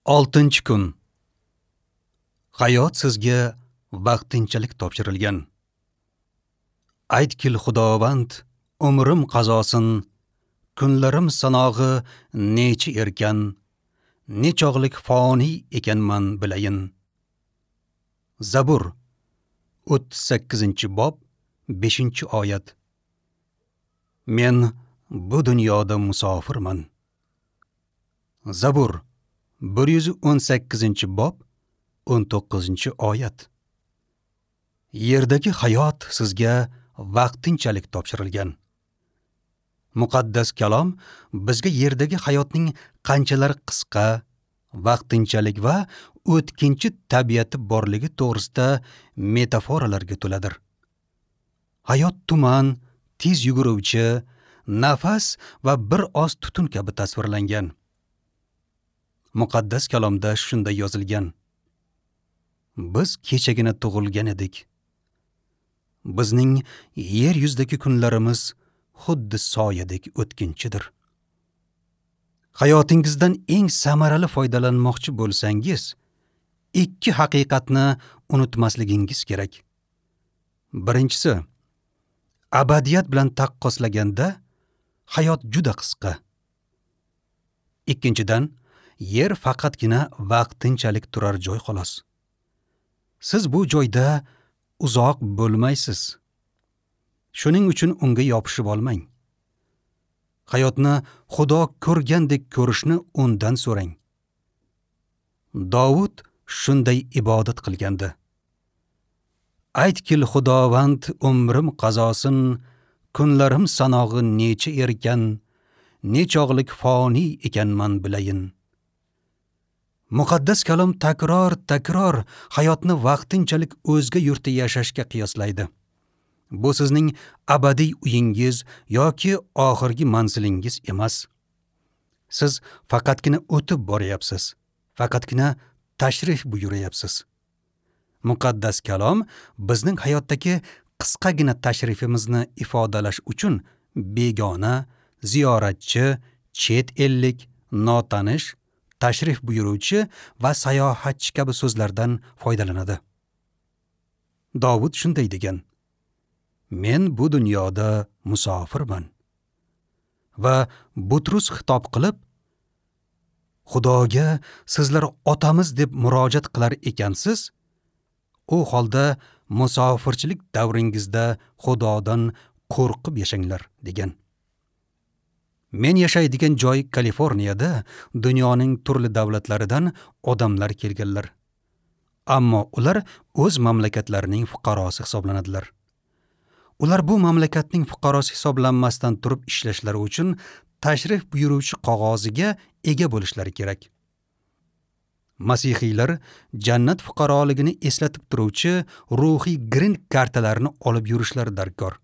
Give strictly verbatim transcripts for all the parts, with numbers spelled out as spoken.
Oltinchi kun. Hayot sizga vaqtinchalik topshirilgan. Aytkil Xudovand, umrim qazosin, kunlarim sanog'i necha erkan, nechog'lik foniy ekanman bilayin. Zabur o'ttiz sakkizinchi bob beshinchi oyat. Men bu dunyoda musofirman. Zabur bir yuz o'n sakkizinchi bob o'n to'qqizinchi oyat. Yerdagi hayot sizga vaqtinchalik topshirilgan. Muqaddas kalom bizga yerdagi hayotning qanchalar qisqa, vaqtinchalik va o'tkinchi tabiati borligi to'g'risida metaforalarga to'ladir. Hayot tuman, tez yuguruvchi, nafas va bir oz tutun kabi tasvirlangan. Muqaddas kalomda shunday yozilgan: Biz kechagina tug'ilgan edik. Bizning yer yuzidagi kunlarimiz xuddi soyadek o'tkinchidir. Hayotingizdan eng samarali foydalanmoqchi bo'lsangiz, ikki haqiqatni unutmasligingiz kerak. Birinchisi, abadiyat bilan taqqoslaganda hayot juda qisqa. Ikkinchidan, yer faqatgina vaqtinchalik turar joy xolos. Siz bu joyda uzoq bo'lmaysiz. Shuning uchun unga yopishib olmang. Hayotni Xudo ko'rgandek ko'rishni undan so'rang. Davud shunday ibodat qilgandi. Aytkil Xudovand, umrim qazosin, kunlarim sanog'i necha erkan, nechog'lik foniy ekanman bilayin. Muqaddas kalom takror-takror hayotni vaqtinchalik o'zga yurtda yashashga qiyoslaydi. Bu sizning abadiy uyingiz yoki oxirgi manzilingiz emas. Siz faqatgina o'tib boryapsiz, faqatgina tashrif buyuryapsiz. Muqaddas kalom bizning hayotdagi qisqagina tashrifimizni ifodalash uchun begona, ziyoratchi, chet ellik, notanish, tashrif buyuruvchi va sayohatchi kabi so'zlardan foydalanadi. Davud shunday degan: Men bu dunyoda musofirman. Va Butrus xitob qilib, Xudoga sizlar otamiz deb murojaat qilar ekansiz, u holda musofirchilik davringizda Xudodan qo'rqib yashanglar degan. Men yashaydigan joy Kaliforniyada dunyoning turli davlatlaridan odamlar kelganlar. Ammo ular o'z mamlakatlarining fuqarosi hisoblanadilar. Ular bu mamlakatning fuqarosi hisoblanmasdan turib ishlashlari uchun tashrif buyuruvchi qog'oziga ega bo'lishlari kerak. Masihiylar jannat fuqaroligini eslatib turuvchi ruhiy green kartalarni olib yurishlari darkor.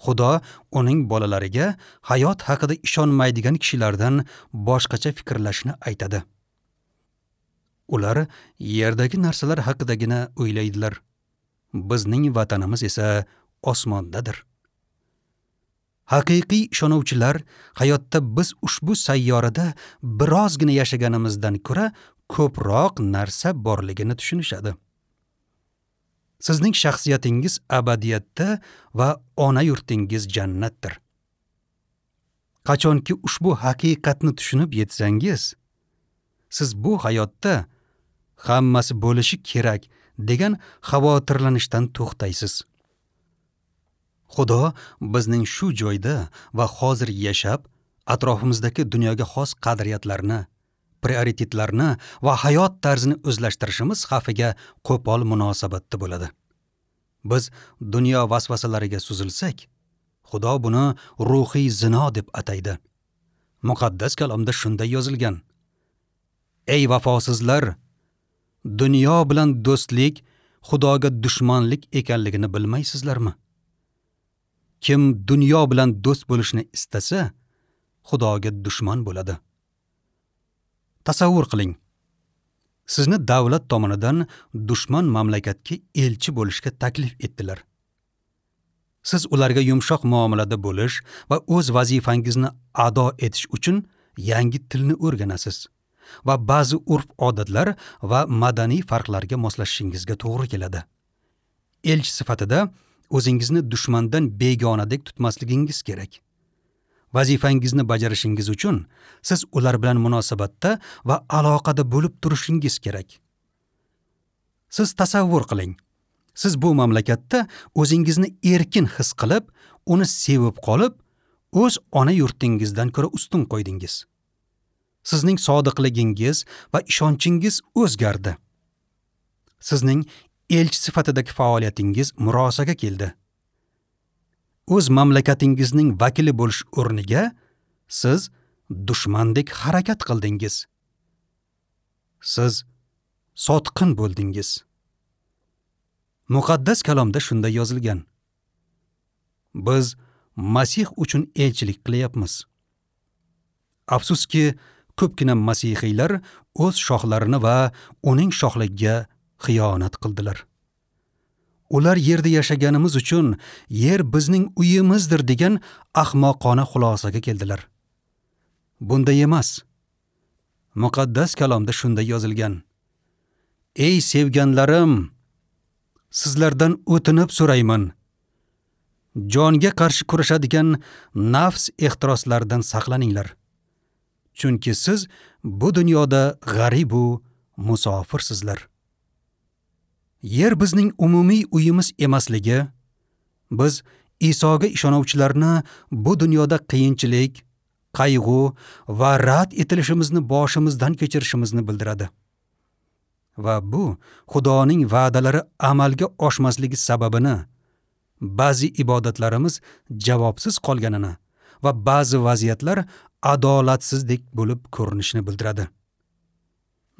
Xudo uning bolalariga hayot haqida ishonmaydigan kishilardan boshqacha fikrlashni aytadi. Ular yerdagi narsalar haqidagina o'ylaydilar. Bizning vatanimiz esa osmondadir. Haqiqiy ishonuvchilar hayotda biz ushbu sayyorada birozgina yashaganimizdan ko'ra ko'proq narsa borligini tushunishadi. Sizning shaxsiyatingiz abadiyatda va ona yurtingiz jannatdir. Qachonki ushbu haqiqatni tushunib yetsangiz, siz bu hayotda hammasi bo'lishi kerak degan xavotirlanishdan to'xtaysiz. Xudo bizning shu joyda va hozir yashab, atrofimizdagi dunyoga xos qadriyatlarni, prioritetlarni va hayot tarzini o'zlashtirishimiz xavfiga qo'pol munosabatda bo'ladi. Biz dunyo vasvasalariga suzilsak, Xudo buni ruhiy zino deb ataydi. Muqaddas kalomda shunday yozilgan: Ey vafosizlar, dunyo bilan do'stlik Xudoga dushmanlik ekanligini bilmaysizlarmi? Kim dunyo bilan do'st bo'lishni istasa, Xudoga dushman bo'ladi. Tasavvur qiling. Sizni davlat tomonidan dushman mamlakatga elchi bo'lishga taklif etdilar. Siz ularga yumshoq muomalada bo'lish va o'z vazifangizni ado etish uchun yangi tilni o'rganasiz va ba'zi urf-odatlar va madaniy farqlarga moslashishingizga to'g'ri keladi. Elchi sifatida o'zingizni dushmandan begonadek tutmasligingiz kerak. Vazifangizni bajarishingiz uchun siz ular bilan munosabatda va aloqada bo'lib turishingiz kerak. Siz tasavvur qiling. Siz bu mamlakatda o'zingizni erkin his qilib, uni sevib qolib, o'z ona yurtingizdan ko'ra ustun qo'ydingiz. Sizning sodiqligingiz va ishonchingiz o'zgardi. Sizning elchi sifatidagi faoliyatingiz murosaga keldi. O'z mamlakatingizning vakili bo'lish o'rniga siz dushmandek harakat qildingiz. Siz sotqin bo'ldingiz. Muqaddas kalomda shunday yozilgan: Biz Masih uchun elchilik qilyapmiz. Afsuski, ko'pgina masihiylar o'z shohlarini va uning shohligiga xiyonat qildilar. Ular yerda yashaganimiz uchun yer bizning uyimizdir degan ahmoqona xulosaga keldilar. Bunday emas. Muqaddas kalomda shunday yozilgan: Ey sevganlarim, sizlardan o'tinib so'rayman. Jonga qarshi kurashadigan nafs ehtiroslaridan saqlaninglar. Chunki siz bu dunyoda g'arib u musofirsizlar. Yer bizning umumiy uyimiz emasligi, biz Isoga ishonuvchilarni bu dunyoda qiyinchilik, qayg'u va rad etilishimizni boshimizdan kechirishimizni bildiradi. Va bu Xudoning va'dalari amalga oshmasligi sababini, ba'zi ibodatlarimiz javobsiz qolganini va ba'zi vaziyatlar adolatsizlik bo'lib ko'rinishini bildiradi.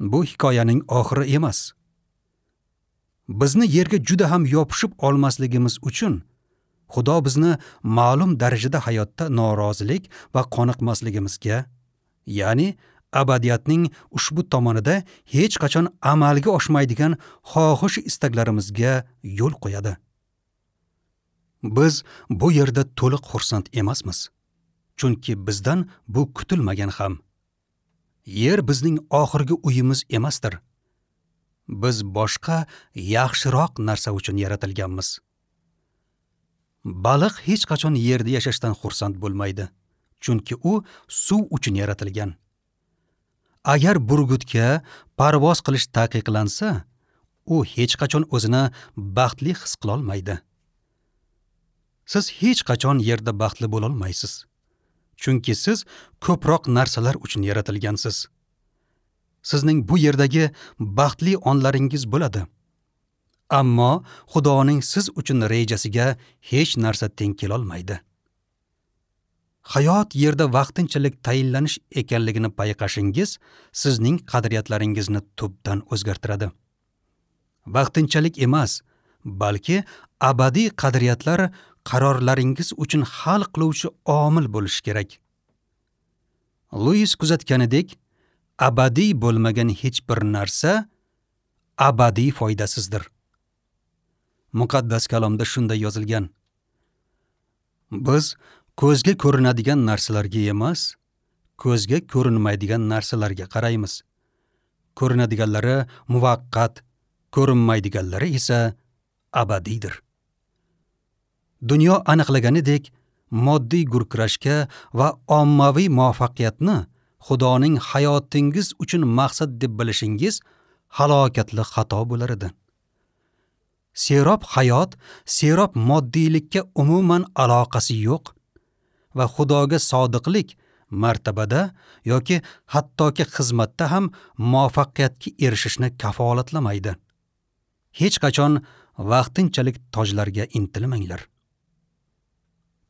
Bu hikoyaning oxiri emas. Bizni yerga juda ham yopishib olmasligimiz uchun Xudo bizni ma'lum darajada hayotda norozilik va qoniqmasligimizga, ya'ni abadiyatning ushbu tomonida hech qachon amalga oshmaydigan xohish istaklarimizga yo'l qo'yadi. Biz bu yerda to'liq xursand emasmiz, chunki bizdan bu kutilmagan ham. Yer bizning oxirgi uyimiz emasdir. Biz boshqa yaxshiroq narsa uchun yaratilganmiz. Baliq hech qachon yerda yashashdan xursand bo'lmaydi, chunki u suv uchun yaratilgan. Agar burgutga parvoz qilish taqiqlansa, u hech qachon o'zini baxtli his qila olmaydi. Siz hech qachon yerda baxtli bo'la olmaysiz, chunki siz ko'proq narsalar uchun yaratilgansiz. Sizning bu yerdagi baxtli onlaringiz bo'ladi. Ammo Xudoning siz uchun rejasiga hech narsa teng kela olmaydi. Hayot yerda vaqtinchalik tayinlanish ekanligini payqashingiz sizning qadriyatlaringizni tubdan o'zgartiradi. Vaqtinchalik emas, balki abadiy qadriyatlar qarorlaringiz uchun hal qiluvchi omil bo'lishi kerak. Luis kuzatganidek, abadiy bo'lmagan hech bir narsa abadiy foydasizdir. Muqaddas kalomda shunday yozilgan: Biz ko'zga ko'rinadigan narsalarga emas, ko'zga ko'rinmaydigan narsalarga qaraymiz. Ko'rinadiganlari muvaqqat, ko'rinmaydiganlari esa abadiydir. Dunyo aniqlaganidek, moddiy gurkurashga va ommaviy muvaffaqiyatni Xudoning hayotingiz uchun maqsad deb bilishingiz halokatli xato bo'lar edi. Serob hayot, serob moddiylikka umuman aloqasi yo'q va Xudoga sodiqlik martabada yoki hattoki xizmatda ham muvaffaqiyatga erishishni kafolatlamaydi. Hech qachon vaqtinchalik tojlarga intilmanglar.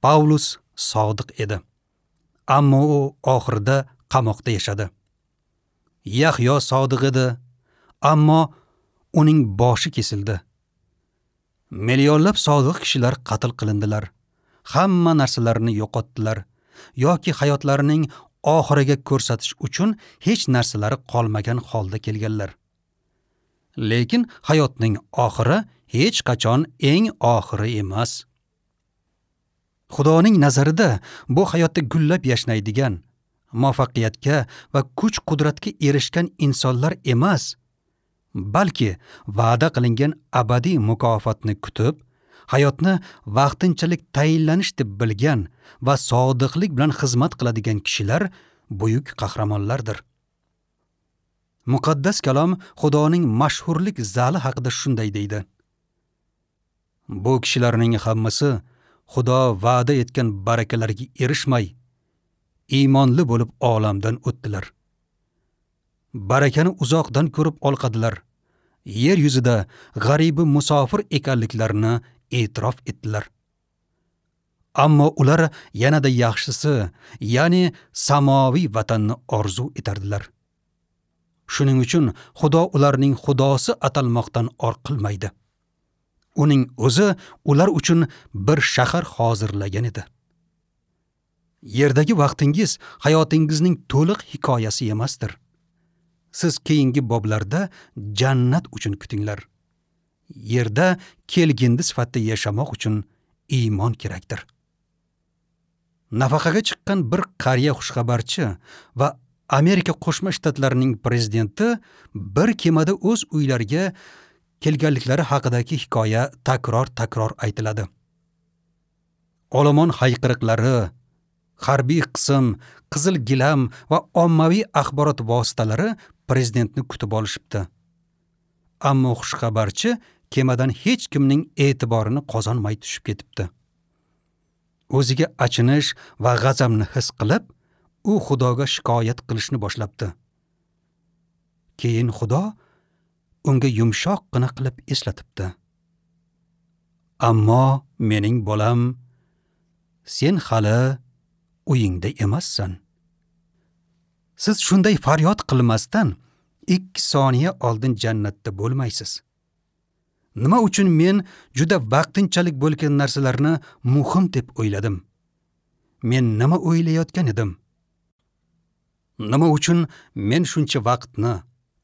Pavlus sodiq edi, ammo u oxirida qamoqda yashadi. Yahyo sodiq edi, ammo uning boshi kesildi. Millionlab sodiq kishilar qatl qilindilar. Hamma narsalarini yo'qotdilar yoki hayotlarining oxiriga ko'rsatish uchun hech narsalari qolmagan holda kelganlar. Lekin hayotning oxiri hech qachon eng oxiri emas. Xudoning nazarida bu hayotda gullab yashnaydigan, Muvaffaqiyatga va kuch-qudratga erishgan insonlar emas, balki va'da qilingan abadiy mukofotni kutib, hayotni vaqtinchalik tayinlanish deb bilgan va sodiqlik bilan xizmat qiladigan kishilar buyuk qahramonlardir. Muqaddas kalom Xudoning mashhurlik zali haqida shunday deydi: Bu kishilarning hammasi Xudo va'da etgan barakalarga erishmay, iymonli bo'lib olamdan o'tdilar. Barakani uzoqdan ko'rib olqadilar. Yer yuzida g'aribi musofir ekanliklarini e'tirof etdilar. Ammo ular yanada yaxshisi, ya'ni samoviy vatanni orzu etardilar. Shuning uchun Xudo ularning Xudosi atalmoqdan or qilmaydi. Uning o'zi ular uchun bir shahar hozirlagan edi. Yerdagi vaqtingiz hayotingizning to'liq hikoyasi emasdir. Siz keyingi boblarda jannat uchun kutinglar. Yerda kelgindi sifatida yashamoq uchun iymon kerakdir. Nafaqaga chiqqan bir qariya xushxabarchi va Amerika Qo'shma Shtatlarining prezidenti bir kemada o'z uylariga kelganliklari haqidagi hikoya takror-takror aytiladi. Olomon hayqiriqlari, harbiy qism, qizil gilam va ommaviy axborot vositalari prezidentni kutib olishibdi. Ammo xushxabarchi kemadan hech kimning e'tiborini qozonmay tushib ketibdi. O'ziga achinish va g'azabni his qilib, u Xudoga shikoyat qilishni boshlabdi. Keyin Xudo unga yumshoqqina qilib eslatibdi: Ammo mening bolam, sen hali uyingda emassan. Siz shunday faryod qilmasdan ikki soniya oldin jannatda bo'lmaysiz. Nima uchun men juda vaqtinchalik bo'lgan narsalarni muhim deb o'yladim? Men nima o'ylayotgan edim? Nima uchun men shuncha vaqtni,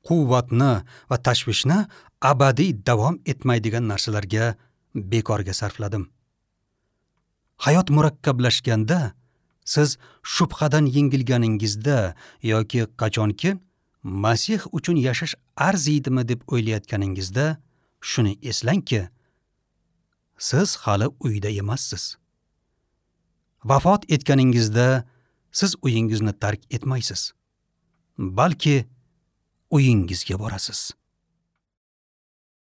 quvvatni va tashvishni abadiy davom etmaydigan narsalarga bekorga sarfladim? Hayot murakkablashganda, siz shubhadan yengilganingizda yoki qachonki Masih uchun yashash arziydimi deb o'ylayotganingizda shuni eslangki, siz hali uyda emassiz. Vafot etganingizda siz uyingizni tark etmaysiz, balki uyingizga borasiz.